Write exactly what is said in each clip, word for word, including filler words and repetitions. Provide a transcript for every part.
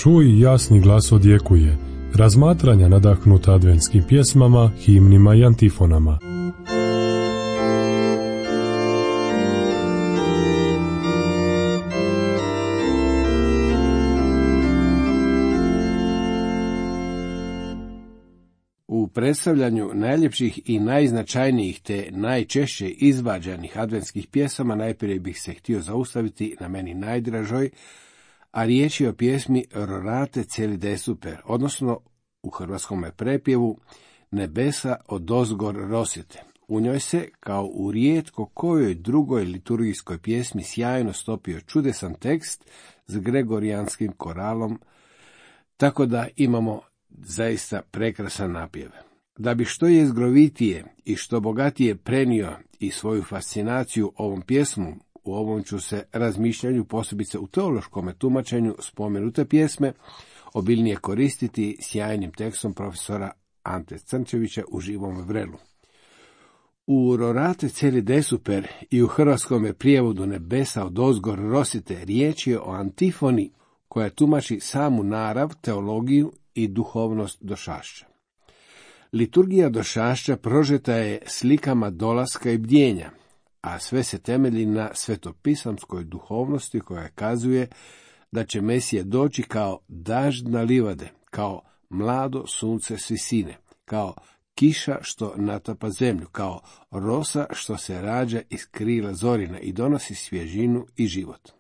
Čuj, jasni glas odjekuje, razmatranja nadahnuta adventskim pjesmama, himnima i antifonama. U predstavljanju najljepših i najznačajnijih te najčešće izvađanih adventskih pjesama najprije bih se htio zaustaviti na meni najdražoj, a riječ je o pjesmi Rorate celi de super, odnosno u hrvatskom prepjevu Nebesa odozgor rosite. U njoj se, kao u rijetko kojoj drugoj liturgijskoj pjesmi, sjajno stopio čudesan tekst s gregorijanskim koralom, tako da imamo zaista prekrasan napjev. Da bi što jezgrovitije i što bogatije prenio i svoju fascinaciju ovom pjesmu, u ovom ću se razmišljanju, posebice u teološkom tumačenju spomenute pjesme, obilnije koristiti sjajnim tekstom profesora Ante Crnčevića u Živom vrelu. U Rorate celi de super i u hrvatskom prijevodu Nebesa odozgor rosite riječ je o antifoni koja tumači samu narav, teologiju i duhovnost došašća. Liturgija došašća prožeta je slikama dolaska i bdjenja, a sve se temelji na svetopisamskoj duhovnosti koja kazuje da će Mesija doći kao dažd na livade, kao mlado sunce s visine, kao kiša što natapa zemlju, kao rosa što se rađa iz krila zorina i donosi svježinu i život.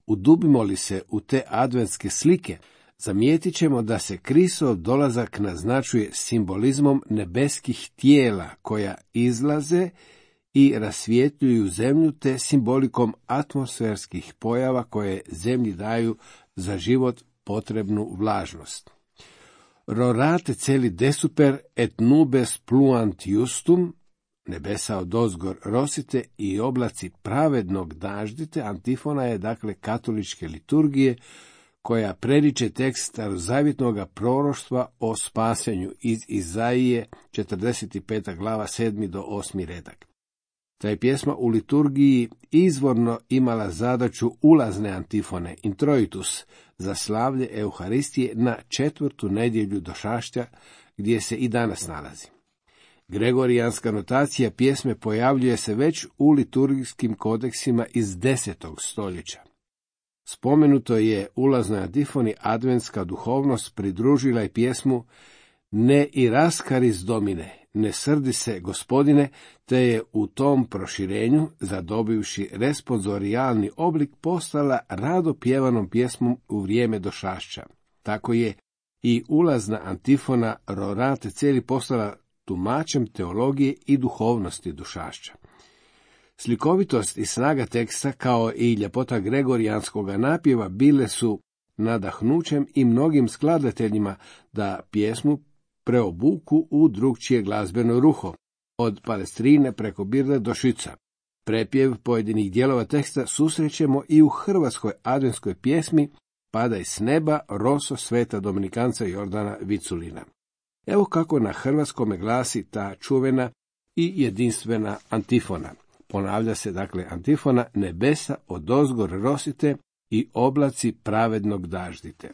Udubimo li se u te adventske slike, zamijetit ćemo da se Kristov dolazak naznačuje simbolizmom nebeskih tijela koja izlaze i rasvjetljuju zemlju, te simbolikom atmosferskih pojava koje zemlji daju za život potrebnu vlažnost. Rorate celi de super et nubes pluant justum, nebesa odozgor rosite i oblaci pravednog daždite, antifona je dakle katoličke liturgije, koja preriče tekst starozavjetnog proroštva o spasenju iz Izaije, četrdeset peta glava, sedmi do osmi redak. Ta je pjesma u liturgiji izvorno imala zadaću ulazne antifone, introitus, za slavlje Euharistije na četvrtu nedjelju došašća, gdje se i danas nalazi. Gregorijanska notacija pjesme pojavljuje se već u liturgijskim kodeksima iz desetog stoljeća. Spomenuto je ulaznoj antifoni adventska duhovnost pridružila i pjesmu Ne iraskaris domine, ne srdi se gospodine, te je u tom proširenju, zadobivši responsorijalni oblik, postala rado pjevanom pjesmom u vrijeme došašća. Tako je i ulazna antifona Rorate celi postala tumačem teologije i duhovnosti došašća. Slikovitost i snaga teksta, kao i ljepota gregorijanskog napjeva, bile su nadahnućem i mnogim skladateljima da pjesmu preobuku u drugčije glazbeno ruho, od palestrine preko birle do šica. Prepjev pojedinih dijelova teksta susrećemo i u hrvatskoj adventskoj pjesmi Padaj s neba, roso sveta dominikanca Jordana Viculina. Evo kako na hrvatskome glasi ta čuvena i jedinstvena antifona. Ponavlja se dakle antifona Nebesa odozgor rosite i oblaci pravednog daždite.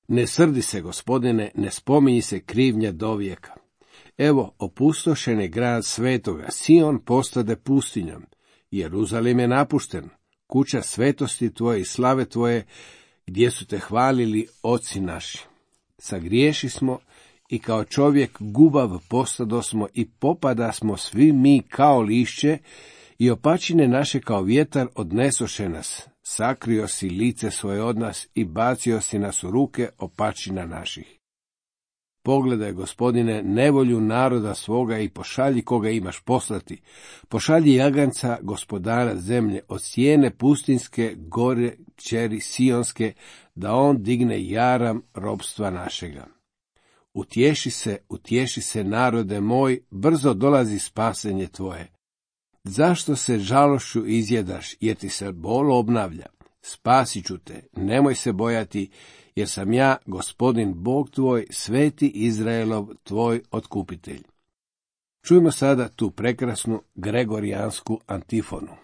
Ne srdi se gospodine, ne spominji se krivnja dovijeka. Evo, opustošen je grad svetoga, Sion postade pustinjom, Jeruzalem je napušten, kuća svetosti tvoje i slave tvoje, gdje su te hvalili oci naši. Sagriješi smo i kao čovjek gubav postadosmo i popada smo svi mi kao lišće i opačine naše kao vjetar odnesoše nas. Sakrio si lice svoje od nas i bacio si nas u ruke opačina naših. Pogledaj, gospodine, nevolju naroda svoga i pošalji koga imaš poslati. Pošalji jaganca, gospodara zemlje, od sjene pustinske gore kćeri sionske, da on digne jaram robstva našega. Utješi se, utješi se, narode moj, brzo dolazi spasenje tvoje. Zašto se žalošću izjedaš, jer ti se bol obnavlja? Spasit ću te, nemoj se bojati, jer sam ja, gospodin Bog tvoj, sveti Izraelov, tvoj otkupitelj. Čujmo sada tu prekrasnu gregorijansku antifonu.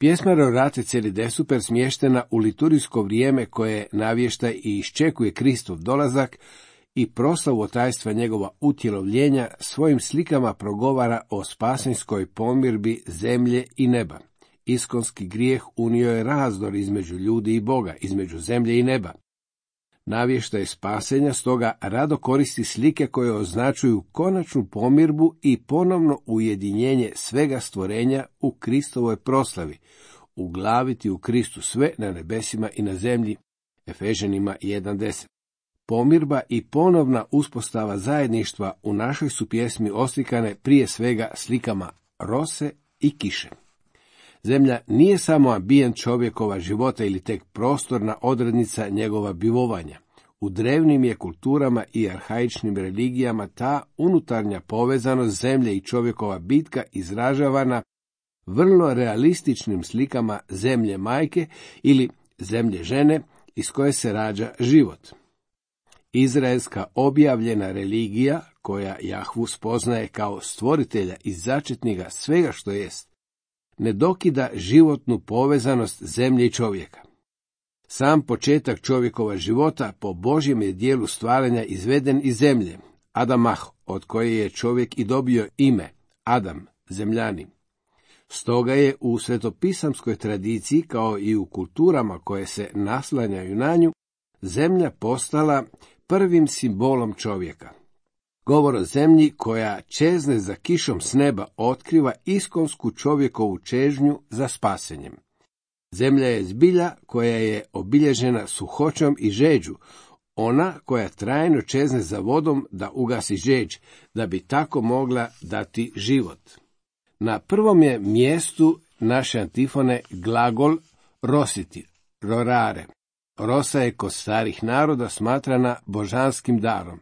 Pjesma Rorate celi desuper smještena u liturgijsko vrijeme koje navješta i iščekuje Kristov dolazak i proslavu otajstva njegova utjelovljenja svojim slikama progovara o spasenjskoj pomirbi zemlje i neba. Iskonski grijeh unio je razdor između ljudi i Boga, između zemlje i neba. Navještaj spasenja stoga rado koristi slike koje označuju konačnu pomirbu i ponovno ujedinjenje svega stvorenja u Kristovoj proslavi, uglaviti u Kristu sve na nebesima i na zemlji. Efežanima jedan deset. Pomirba i ponovna uspostava zajedništva u našoj su pjesmi oslikane prije svega slikama rose i kiše. Zemlja nije samo ambijent čovjekova života ili tek prostorna odrednica njegova bivovanja. U drevnim je kulturama i arhaičnim religijama ta unutarnja povezanost zemlje i čovjekova bitka izražavana vrlo realističnim slikama zemlje majke ili zemlje žene iz koje se rađa život. Izraelska objavljena religija, koja Jahvu spoznaje kao stvoritelja i začetnika svega što jest, ne dokida životnu povezanost zemlje i čovjeka. Sam početak čovjekova života po Božjem je dijelu stvaranja izveden iz zemlje, Adamah, od koje je čovjek i dobio ime, Adam, zemljani. Stoga je u svetopisamskoj tradiciji, kao i u kulturama koje se naslanjaju na nju, zemlja postala prvim simbolom čovjeka. Govor o zemlji koja čezne za kišom s neba otkriva iskonsku čovjekovu čežnju za spasenjem. Zemlja je zbilja koja je obilježena suhoćom i žeđu, ona koja trajno čezne za vodom da ugasi žeđ, da bi tako mogla dati život. Na prvom je mjestu naše antifone glagol rositi, rorare. Rosa je kod starih naroda smatrana božanskim darom.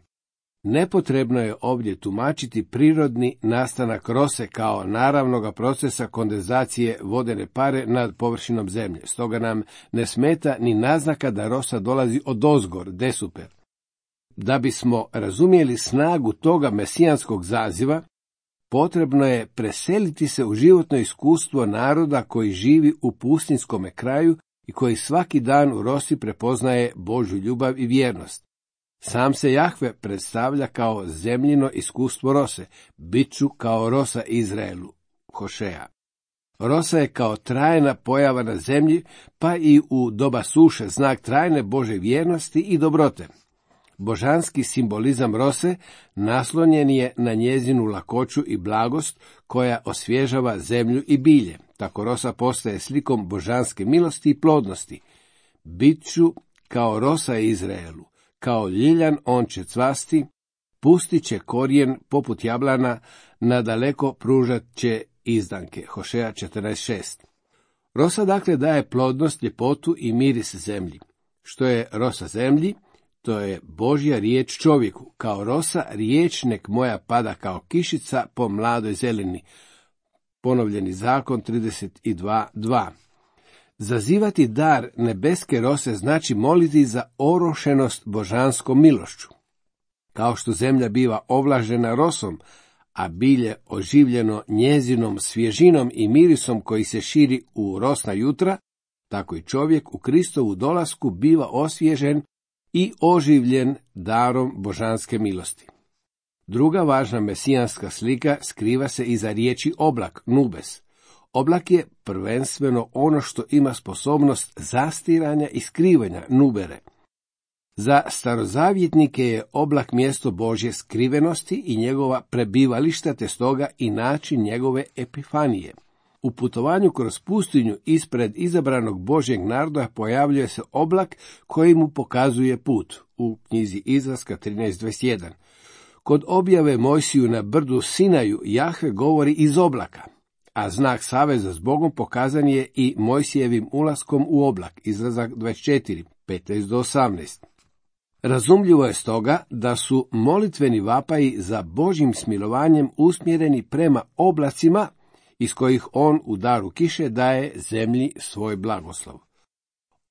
Nepotrebno je ovdje tumačiti prirodni nastanak rose kao naravnoga procesa kondenzacije vodene pare nad površinom zemlje. Stoga nam ne smeta ni naznaka da rosa dolazi odozgor, desuper. Da bismo razumjeli snagu toga mesijanskog zaziva, potrebno je preseliti se u životno iskustvo naroda koji živi u pustinskome kraju i koji svaki dan u rosi prepoznaje Božju ljubav i vjernost. Sam se Jahve predstavlja kao zemljino iskustvo rose, biću kao rosa Izraelu, Hošeja. Rosa je kao trajna pojava na zemlji, pa i u doba suše znak trajne Božje vjernosti i dobrote. Božanski simbolizam rose naslonjen je na njezinu lakoću i blagost koja osvježava zemlju i bilje. Tako rosa postaje slikom božanske milosti i plodnosti. Biću kao rosa Izraelu, kao ljiljan on će cvasti, pustit će korijen poput jablana, nadaleko pružat će izdanke. Hošeja četrnaest šest. Rosa dakle daje plodnost, ljepotu i miris zemlji. Što je rosa zemlji? To je Božja riječ čovjeku. Kao rosa riječ nek moja pada kao kišica po mladoj zeleni. Ponovljeni zakon trideset dva dva. Zazivati dar nebeske rose znači moliti za orošenost božanskom milošću. Kao što zemlja biva ovlažena rosom, a bilje oživljeno njezinom svježinom i mirisom koji se širi u rosna jutra, tako i čovjek u Kristovu dolasku biva osvježen i oživljen darom božanske milosti. Druga važna mesijanska slika skriva se iza riječi oblak, nubes. Oblak je prvenstveno ono što ima sposobnost zastiranja i skrivanja, nubere. Za starozavjetnike je oblak mjesto Božje skrivenosti i njegova prebivališta, te stoga i način njegove epifanije. U putovanju kroz pustinju ispred izabranog Božjeg naroda pojavljuje se oblak koji mu pokazuje put, u knjizi Izlaska trinaest dvadeset jedan. Kod objave Mojsiju na brdu Sinaju Jahve govori iz oblaka, a znak saveza s Bogom pokazan je i Mojsijevim ulaskom u oblak, Izlazak dvadeset četiri, petnaest do osamnaest. Razumljivo je stoga da su molitveni vapaji za Božjim smilovanjem usmjereni prema oblacima iz kojih on u daru kiše daje zemlji svoj blagoslov.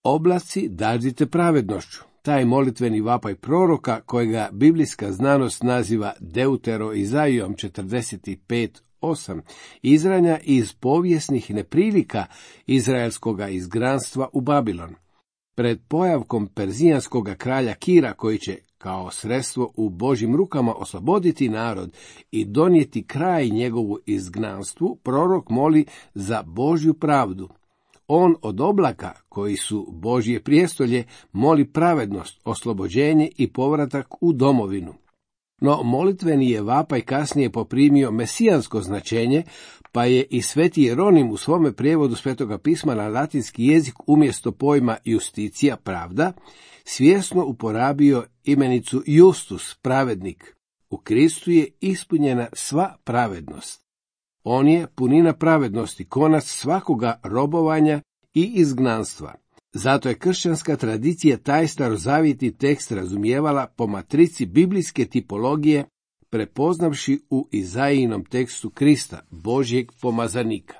Oblaci dađite pravednošću. Taj molitveni vapaj proroka, kojega biblijska znanost naziva Deutero Izaijom četrdeset pet osam izranja iz povijesnih neprilika izraelskoga izgnanstva u Babilon. Pred pojavkom perzijanskog kralja Kira, koji će kao sredstvo u Božjim rukama osloboditi narod i donijeti kraj njegovu izgnanstvu, prorok moli za Božju pravdu. On od oblaka, koji su Božje prijestolje, moli pravednost, oslobođenje i povratak u domovinu. No molitveni je vapaj kasnije poprimio mesijansko značenje, pa je i sveti Jeronim u svome prijevodu Svetoga pisma na latinski jezik umjesto pojma justicija, pravda, svjesno uporabio imenicu justus, pravednik. U Kristu je ispunjena sva pravednost. On je punina pravednosti, konac svakoga robovanja i izgnanstva. Zato je kršćanska tradicija taj starozavjetni tekst razumijevala po matrici biblijske tipologije, prepoznavši u Izaijinom tekstu Krista, Božjeg pomazanika.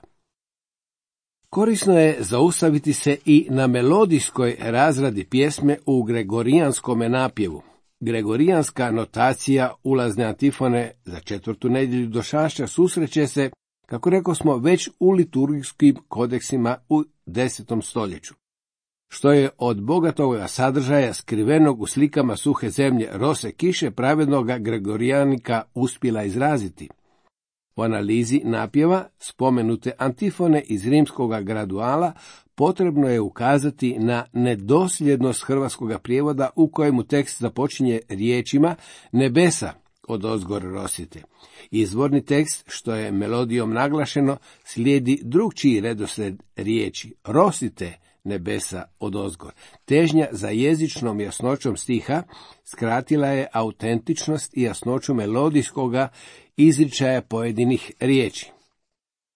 Korisno je zaustaviti se i na melodijskoj razradi pjesme u gregorijanskome napjevu. Gregorijanska notacija ulazne antifone za četvrtu nedjelju došašća susreće se, kako rekosmo, već u liturgijskim kodeksima u desetom stoljeću. Što je od bogatoga sadržaja skrivenog u slikama suhe zemlje, rose, kiše pravednoga Gregorijanika uspjela izraziti. U analizi napjeva spomenute antifone iz rimskoga graduala potrebno je ukazati na nedosljednost hrvatskoga prijevoda u kojemu tekst započinje riječima nebesa odozgor rosite. Izvorni tekst, što je melodijom naglašeno, slijedi drugčiji redoslijed riječi rosite nebesa odozgor. Težnja za jezičnom jasnoćom stiha skratila je autentičnost i jasnoću melodijskoga izričaja pojedinih riječi.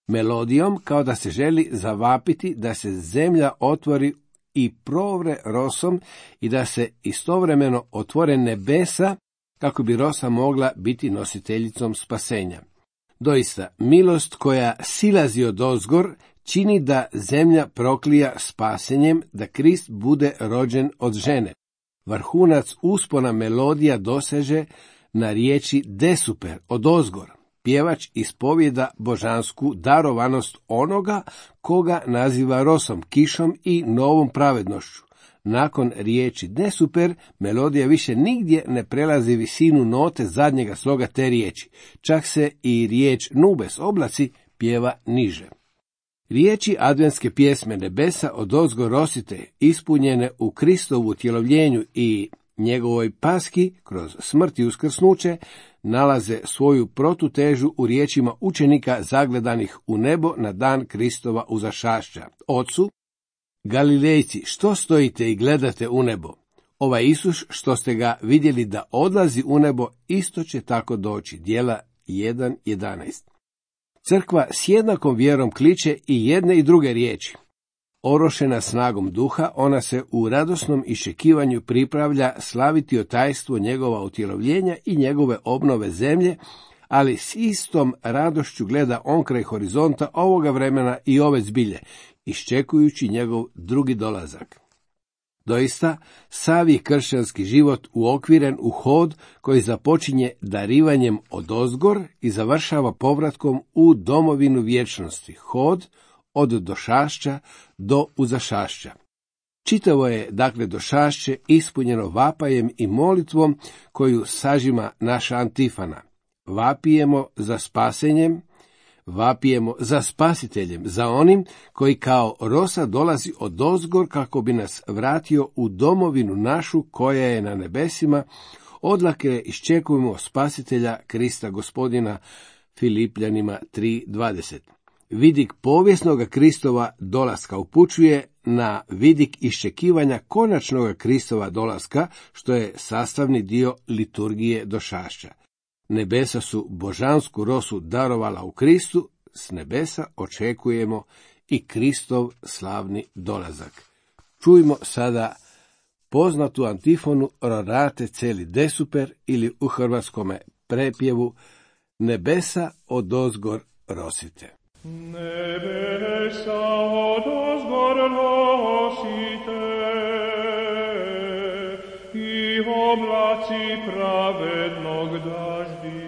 Melodijom kao da se želi zavapiti da se zemlja otvori i provre rosom i da se istovremeno otvore nebesa kako bi rosa mogla biti nositeljicom spasenja. Doista, milost koja silazi odozgor čini da zemlja proklija spasenjem, da Krist bude rođen od žene. Vrhunac uspona melodija doseže na riječi desuper, odozgor. Pjevač ispovjeda božansku darovanost onoga koga naziva rosom, kišom i novom pravednošću. Nakon riječi desuper, melodija više nigdje ne prelazi visinu note zadnjega sloga te riječi. Čak se i riječ nubes, oblaci, pjeva niže. Riječi adventske pjesme nebesa odozgo rosite, ispunjene u Kristovu utjelovljenju i njegovoj paski kroz smrt i uskrsnuće, nalaze svoju protutežu u riječima učenika zagledanih u nebo na dan Kristova uzašašća. Ocu, Galilejci, što stojite i gledate u nebo? Ovaj Isus, što ste ga vidjeli da odlazi u nebo, isto će tako doći. Djela jedan jedanaest. Crkva s jednakom vjerom kliče i jedne i druge riječi. Orošena snagom duha, ona se u radosnom iščekivanju pripravlja slaviti otajstvo njegova utjelovljenja i njegove obnove zemlje, ali s istom radošću gleda onkraj horizonta ovoga vremena i ove zbilje, iščekujući njegov drugi dolazak. Doista, sav je kršćanski život uokviren u hod koji započinje darivanjem odozgor i završava povratkom u domovinu vječnosti, hod od došašća do uzašašća. Čitavo je, dakle, došašće ispunjeno vapajem i molitvom koju sažima naša antifona. Vapijemo za spasenjem, vapijemo za spasiteljem, za onim koji kao rosa dolazi odozgor kako bi nas vratio u domovinu našu koja je na nebesima, odlake iščekujemo spasitelja Krista Gospodina, Filipljanima tri dvadeset. Vidik povijesnoga Kristova dolaska upućuje na vidik iščekivanja konačnoga Kristova dolaska, što je sastavni dio liturgije došašća. Nebesa su božansku rosu darovala u Kristu, s nebesa očekujemo i Kristov slavni dolazak. Čujmo sada poznatu antifonu Rorate celi desuper ili u hrvatskome prepjevu nebesa odozgor rosite. Nebesa odozgor rosite i oblaci pravednog daždite.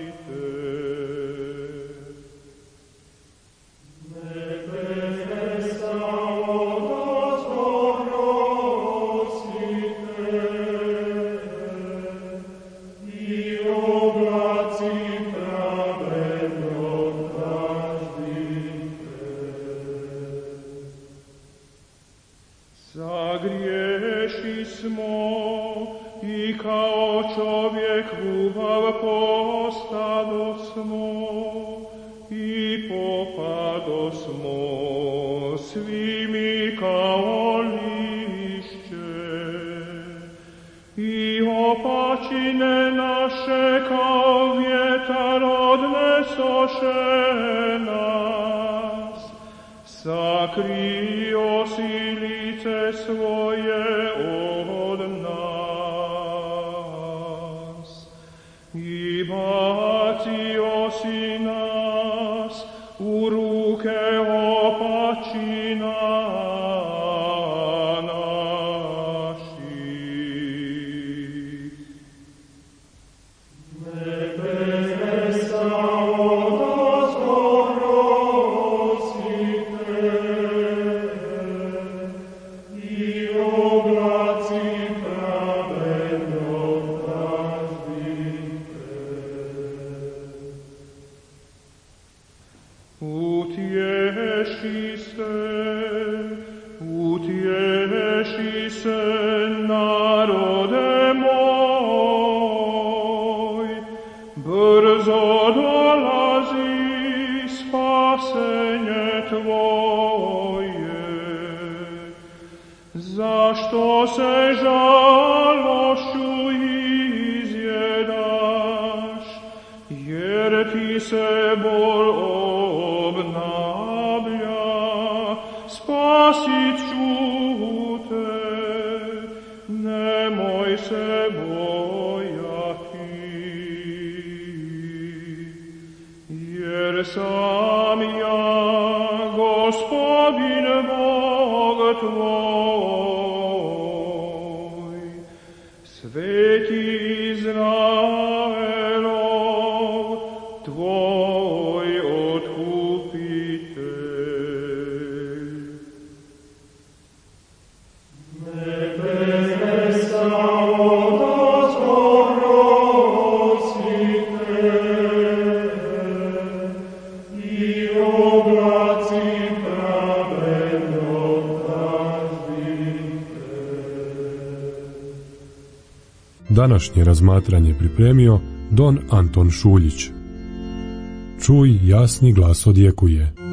i kao čovjek ljubav postadosmo i popadosmo svi mi kao lišće i opačine naše kao vjetar odnesoše nas, sakrio si lice svoje od nas i bacio si nas u ruke opačina naših. Nebesa odazorosite i oblaci pravednog praždite. Utješi se, utješi se, narode moj, brzo dolazi spasenje tvoje. Zašto se žalošću izjedaš, jer ti se bol obnavlja, spasit ću te, nemoj se bojati. Jer sam ja, Gospodin Bog tvoj, sveti Izraelov, tvoj otkupitelj. Nebesa odazorosite i oblaci pravednog praždite. Današnje razmatranje pripremio don Anton Šuljić. Čuj, jasni glas odjekuje.